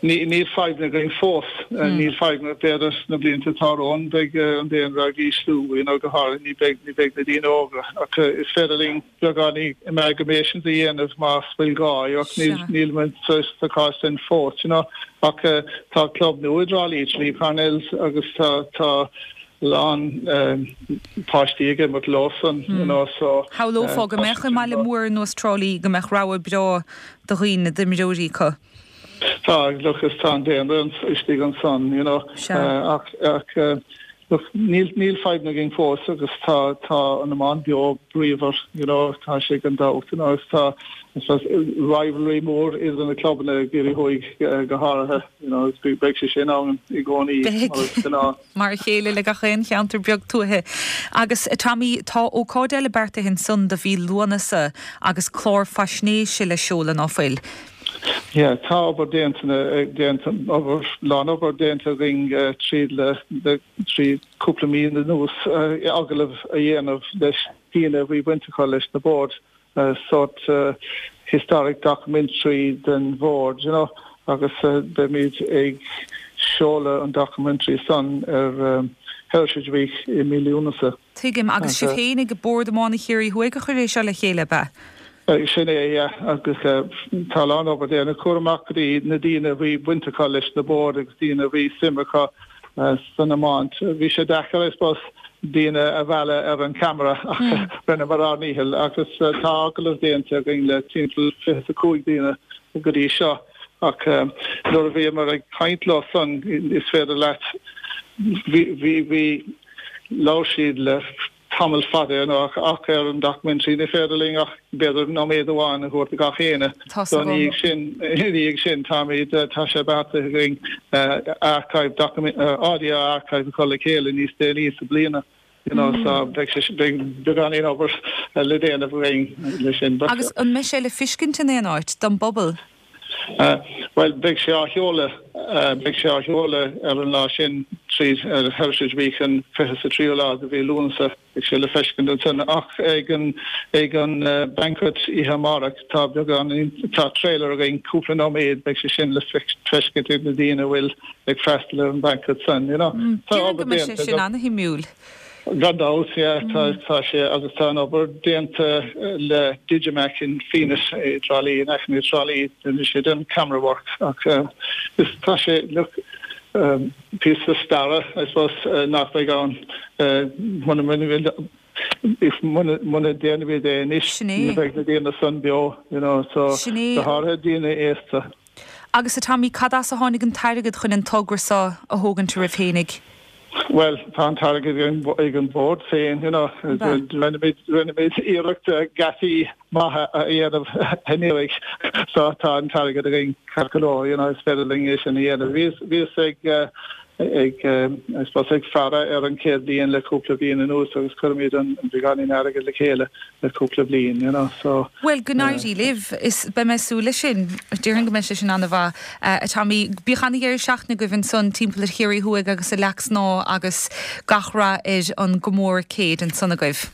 Ní níl fadhb againn fós níl fadhb b'fhéidir na blianta atá romhainn beidh an daonra ag ísliú you know, go háirithe ní beidh ní beidh na daoine óga ach is féidir linn beagán amalgamation a dhéanamh más bhfuil gá ach níl níl muid sa sa chás sin fós you know, ach tá club nua i dTrá Lí Tralee Parnells agus tá tá lán páistí ag imirt leosan you know, so Shamhlófá go mbeadh i mbaile mór ar nós Trá Lí go mbeadh rogha breá de dhaoine d'imreoirí acu. Tá look is tá an daonra istigh ansan you know, ach ach Look, níl níl fadhbanna againn fós agus tá tá an iomáint beo bríomhar, you know, tá sé gan dabht, you know, agus tá I suppose rivalry mór idir na clubanna i gCiarraí Thuaidh go háirithe, you know, agus beidh sé sin ann i gcónaí mar is gnáth. Mar a chéile le gach aon cheantar beag tuaithe. Agus Tommy, tá ócáid eile beartaithe ansan do mhí Lúnasa agus clár faisnéise le seoladh, ná fuil? Yeah, tá obair déanta déanta obair lán obair déanta againn tríd le le trí cúpla mí anuas agallamh a dhéanamh leis daoine a bhí baint acu leis na boird sort historic documentary den bhord, you know, agus beimid ag seoladh an documentary san ar Heritage Week i mí Lúnasa. Tuigim, agus sibh féin ag Bord Iomána Chiarraí Thuaidh a chuir é seo le chéile, ab ea? Sin é, yeah, agus tá a lán obair déanta, cuaradh amach go dtí na daoine a bhí baint acu leis na boird agus daoine a bhí suim acu san iomáint. Bhí sé deacair, I suppose, daoine a mhealladh ar an camera ach rinneamar ár ndícheall agus tá agallamh déanta againn le timpeall fiche is a cúig daoine go dtí seo ach nuair a bhíomar ag caint leo san is féidir leat bhí bhí bhí labhair siad le tamall fada you know ach ar an documentary ní féidir linn ach b'fhéidir nóiméad amháin a thabhairt do gach éinne. So ina dhiaidh sin ina dhiaidh sin táimid tá sé beartaithe againn archive document audio archive a chur le chéile níos déanaí sa bliana you know so beidh sé beidh beagáinín obair le déanamh againn leis sin. Agus an mbeidh sé le feiscint in aon áit don bpobal? Bhuel, beidh sé á sheoladh, beidh sé á sheoladh ar an lá sin tríd Heritage Week an fiche is a tríú lá de mhí Lúnasa. Beidh sé le feiscint ansin. Ach ag an, ag an banquet oíche amárach tá beagán, tá trailer againn, cúpla nóiméad, beidh sé sin le feiscint ag na daoine a bhfuil ag freastal ar an banquet san, you know. Tá obair déanta. Déarfainn go mbeidh sé sin ana-shuimiúil. Gan dabht, yeah, tá, tá sé, agus tá an obair déanta le Digimac in Fenit i dTrá Lí, in aice na Trá Lí, rinne siad an camera work ach is, tá sé, look, píosa staire, I suppose, nach mbeidh ann muna, muna, if, muna, muna ndéanaimid é anois, ní bheidh na daoine san beo, you know, so, go háirithe daoine aosta. Agus a Tommy, cad as a tháinig an t-airgead chun an togra seo a thógaint oraibh fhéinig? Bhuel, tá an t-airgead ag an bhord féin, you know. Rinne muid, rinne muid iarracht geataí maithe a dhéanamh anuraidh so tá an t-airgead againn ceart go leor, you know, is féidir linn é sin a dhéanamh. Bhíos, bhíos ag, ag, I suppose ag faire ar an chéad bhliain le cúpla bliain anuas agus cuirimid an beagáinín airgead le chéile le cúpla bliain, you know, so. Bhuel, go n-éirí libh. Is beidh mé ag súil leis sin. Déarfainn go mbeidh sé sin an-mhaith, a Tommy. Bíodh an-dheireadh seachtaine agaibh ansan timpeall ar Chiarraí Thuaidh agus i Leac Snámha agus gach rath ar an gcomóradh céid ansan agaibh.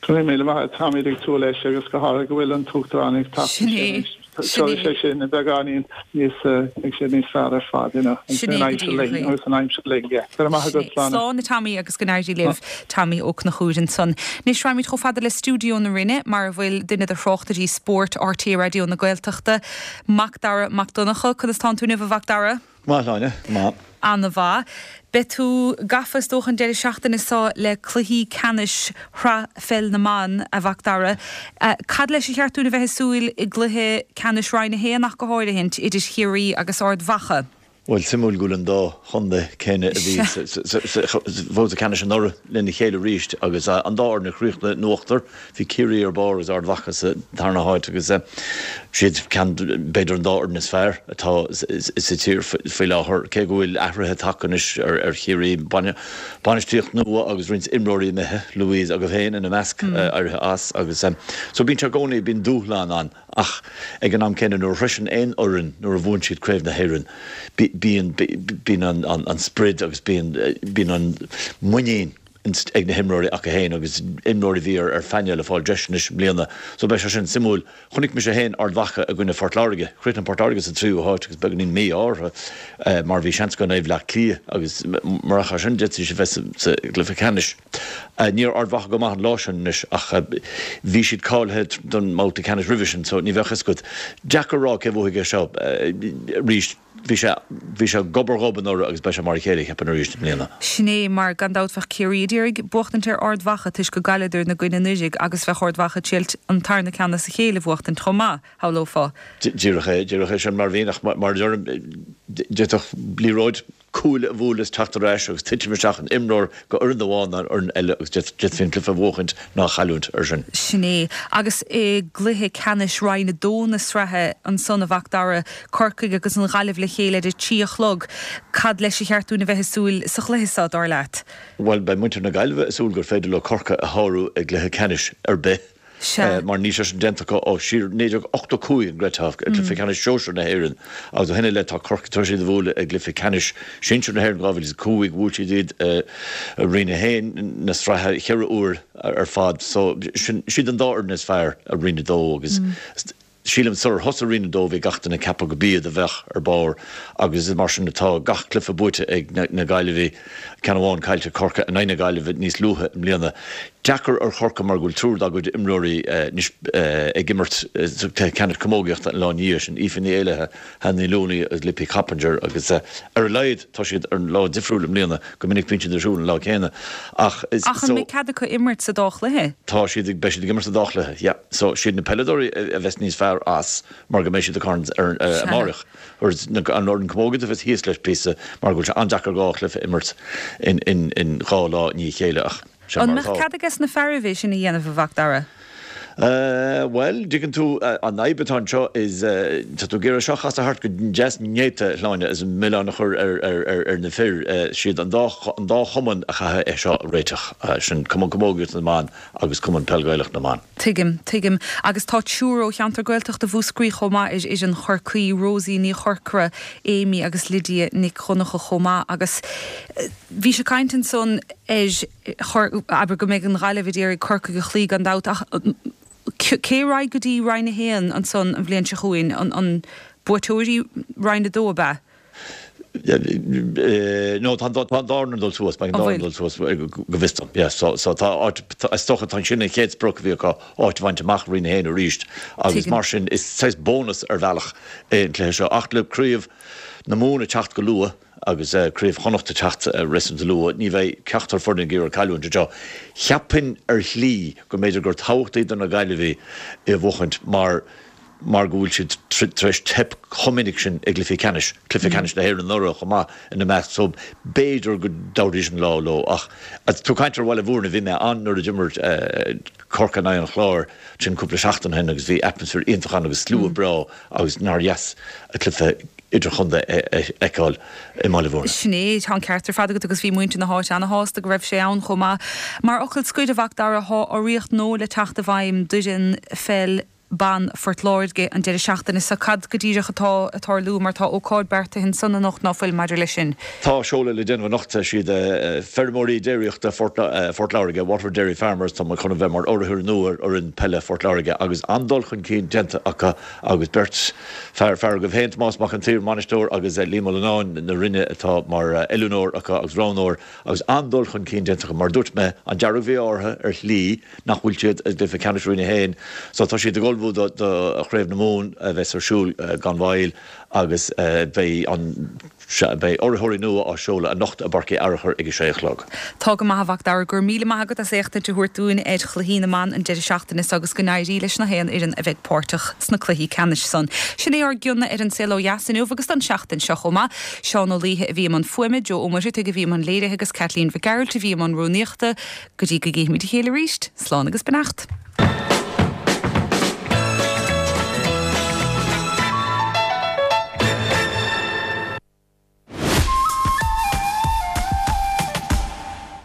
Go raibh míle maith agat. Táimid ag súil leis agus go háirithe go bhfuil an tUachtarán ag teacht Sin é. Sin é. Sé sin beagáinín níos, beidh sé níos fearr ar fad, you know, Sin é an go aimsir díreach linn é. agus an aimsir linn, yeah. Go raibh maith Sin agat, é. Slán. Slán a Tommy agus go n-éirí libh. Tommy Ó Conchúir ansan. Anois raghaimid chomh fada le stiúideo na Rinne mar a bhfuil duine de thráchtairí spóirt RTÉ Raidió na Gaeltachta, Macdara Mac Donncha. Conas tánn tú inniu a Mhacdara? Go maith, Áine, go maith. Ana-mhaith. Beidh tú gafa is dócha an deireadh seachtaine seo le cluichí ceannais Shraith Pheil na mBan, a Mhacdara. Cad leis ar cheart dúinn a bheith ag súil i gcluiche ceannais Roinn a haon ach go háirithint, idir Chiarraí agus Ard Mhacha? Bhuel, suimiúil go bhfuil an dá chontae céanna a bhí sa bhabhta ceannais anuraidh lena chéile arís agus an dá fhoireann a chríochnaigh in uachtar. Bhí Ciarraí ar barr agus Ard Mhacha sa tarna háit agus siad ceann, b'fhéidir an dá fhoireann is fearr atá sa tír faoi láthair, cé go bhfuil athruithe tagtha anois ar Chiarraí, bainistíocht nua agus roinnt imreoirí imithe, Louise agaibh féin ina measc, éirithe as agus so bíonn sé i gcónaí, bíonn dúshlán ann. Ach ag an am céanna, nuair a shroiseann aon fhoireann, nuair a bhuann siad Craobh na hÉireann, bíonn, bíonn an sprid agus bíonn, bíonn an muinín ag na himreoirí acu féin agus imreoirí a bhí ar phainéal ag fáil deis anois i mbliana. So beidh sé sin suimiúil. Chonaic mise féin Ard Mhacha i gcoinne Phort Láirge. Chríochnaigh Port Láirge sa tríú háit agus beagáinín mí-ádh orthu mar bhí seans acu in aghaidh Bhaile Átha Cliath agus murach é sin d'fhéadfaidís a bheith sa gcluiche ceannais. Ní raibh Ard Mhacha go maith an lá sin anois ach bhí siad cáilithe don mbabhta ceannais roimhe sin so ní bheadh fhios agat. Deacair a rá cé bhuafaidh é seo arís. Bhí sé bhí sé gob ar ghob anuraidh agus beidh sé mar a chéile cheapfainn arís i mbliana. Sin é mar gan dabht bheadh Ciarraí ag iarraidh buachtaint ar Ard Mhacha toisc go gcailleadar ina gcoinne anuraidh agus bheadh Ard Mhacha ag triailt an tarna ceann as a chéile a bhuachtaint chomh maith, shamhlófá. Díreach é, díreach é sin mar a bhíonn ach mar a deirim d'fhéadfadh liathróid cúl a bhualadh is teacht ar ais agus titim isteach in imreoir go fhoireann amháin nó an fhoireann eile agus d'fhéadfaí an cluiche a bhuachaint ná a chailliúint ar sin. Sin é. Agus i gcluiche ceannais Roinn a dó na sraithe ansan, a Mhac Dara, Corcaigh agus an Ghaillimh le chéile ar a trí a chlog, cad leis ar cheart dúinn a bheith ag súil sa chluiche seo, dar leat? Bhuel, beidh muintir na Gaillimhe ag súil gur féidir leo Corcaigh a shárú i gcluiche ceannais ar bith. Sea. Mar níl sé sin déanta acu ó siar naoi déag ochtó cúig an gcreidfeá, i gcluiche ceannais sóisir na hÉireann agus ó shin i leith tá Corcaigh tar éis iad a bhualadh i gcluiche ceannais sinsir na hÉireann dhá mhíle is a cúig, bhuail siad iad i Roinn a haon na sraithe cheithre huair ar fad. So sin siad an dá fhoireann is fearr i Roinn a dó agus Sílim sular thosaigh Roinn a dó bhí gach duine ag ceapadh go b'iad a bheadh ar barr agus is mar sin atá, gach cluiche buaite ag na Gaillimhigh, ceann amháin caillte ag Corcaigh in aghaidh na Gaillimhe níos luaithe i mbliana. Deacair ar Chorcaigh mar go bhfuil triúr dá gcuid imreoirí anois ag imirt sa chluiche ceannais camógaíochta an lá ina dhiaidh sin, Aoife Ní Éallaithe, Hannah Ní Looney agus Lippy Coppinger agus ar a laghad tá siad ar lá difriúil i mbliana, go minic bíonn siad ar siúl an lá céanna ach is Ach an mbeidh cead acu imirt sa dá chluiche? Tá siad ag, beidh siad ag imirt sa dá chluiche, yeah. So, siad na peileadóirí a bheas níos fearr as mar go mbeidh siad ag caint ar amárach. Whereas na, an fhoireann camógaíochta a bheas thíos leis píosa mar go bhfuil sé an-deacair dhá chluiche a imirt in, in, in dhá lá i ndiaidh a chéile ach sin An mar mbeadh atá. cead ages na fearaibh é sin a dhéanamh, a Mhac Dara? Bhuel, dtuigeann tú, an fhadhb atá anseo is, tá tú ag iarraidh seo a chasadh thart go deas néata, a Shláine, is an milleán a chur ar na fir. Siad an dá, an dá chumann a chaithfidh é seo a réiteach, sin Cumann Camógaíochta na mBan agus Cumann Peil Gaelach na mBan. Tuigim, tuigim. Agus tá triúr ó cheantar Gaeltachta Mhúscraí chomh maith ar fhoireann Chorcaí, Rosie Ní Chorcora, Amy agus Lydia Nic Dhonncha chomh maith. Agus bhís ag caint ansan ar chor, abair go mbeidh an Ghaillimh ag iarraidh Corcaigh a chloí gan dabht ach cé a raghaidh go dtí Roinn a haon ansan an bhliain seo chugainn? An, an buaiteoirí Roinn a dó ab ea? No, tá an dá fhoireann ag dul suas, beidh an dá fhoireann ag dul suas go bhfios dom, yeah. So, so tá áit, is dócha tá sin an chéad sprioc a bhí acu, áit a bhaint amach i Roinn a haon arís agus mar sin is saghas bónas ar bhealach é an cluiche seo. Ach le craobh na Mumhan ag teacht go luath agus craobh Chonnacht ag teacht réasúnta luath, ní bheidh ceachtar foireann ag iarraidh cailliúint anseo. Cheapfainn ar shlí go mb'fhéidir gur tábhachtaí do na Gaillimhigh é a bhuachaint mar mar go bhfuil siad tar éis teip chomh minic sin i gcluichí ceannais, cluiche ceannais na hÉireann anuraidh chomh maith ina measc, so b'fhéidir go dtabharfaidís an lá leo. Ach tú ag caint ar Bhaile Bhúirne, bhí mé ann nuair a d'imir Corcaigh in aghaidh an Chláir sin cúpla seachtain ó shin agus bhí atmaisféar iontach ann agus slua breá agus nár dheas an cluiche idirchontae a fheiceáil i mBaile Bhúirne. Sin é, tá an ceart ar fad agat agus bhí muintir na háite ana-shásta go raibh sé ann chomh maith. Mar fhocal scoir, a Mhac Dara, tá urraíocht nua le teacht i bhfeidhm d'fhoireann pheil ban Phort Láirge an deireadh seachtaine seo. Cad go díreach atá ag tarlú mar tá ócáid beartaithe ansan anocht, ná fuil, maidir leis sin? Tá seoladh le déanamh anocht. Siad feirmeoirí déiríochta Phort Láirge, Waterford Dairy Farmers, atá chun a bheith mar urraitheoir nua ar fhoireann peile Phort Láirge agus an-dul chun cinn déanta acu agus beirt fear, fear agaibh féin, Tomás Mac an tSaoir, bainisteoir, agus Liam Ó Lonáin na Rinne atá mar oiliúnóir acu agus roghnóir agus an-dul chun cinn déanta acu. Mar a dúirt mé, an dearg-mhí-ádh orthu ar shlí nach bhfuil siad i gcluiche ceannais Roinn a haon so tá siad ag ullmhú do Chraobh na Mumhan a bheas ar siúl gan mhoill agus beidh an Beidh urraitheoirí nua á seoladh anocht i bPáirc Uí Fhearchair ag a sé a chlog. Tá go maith a Mhac Dara, go raibh míle maith agat as éachtaint a thabhairt dúinn ar chluichí na mban an deireadh seachtaine seo agus go n-éirí leis na haon fhoireann a bheidh páirteach sna cluichí ceannais san. Sin é ár gcion ar an Saol Ó Dheas inniu agus don seachtain seo chomh maith. Seán Ó Laoithe a bhí i mbun fuaime, Joe Ó Muircheartaigh a bhí i mbun léirithe agus Caitlín Mhic Gearailt a bhí i mbun rúnaíochta. Go dtí go gcífimid a chéile arís, slán agus beannacht.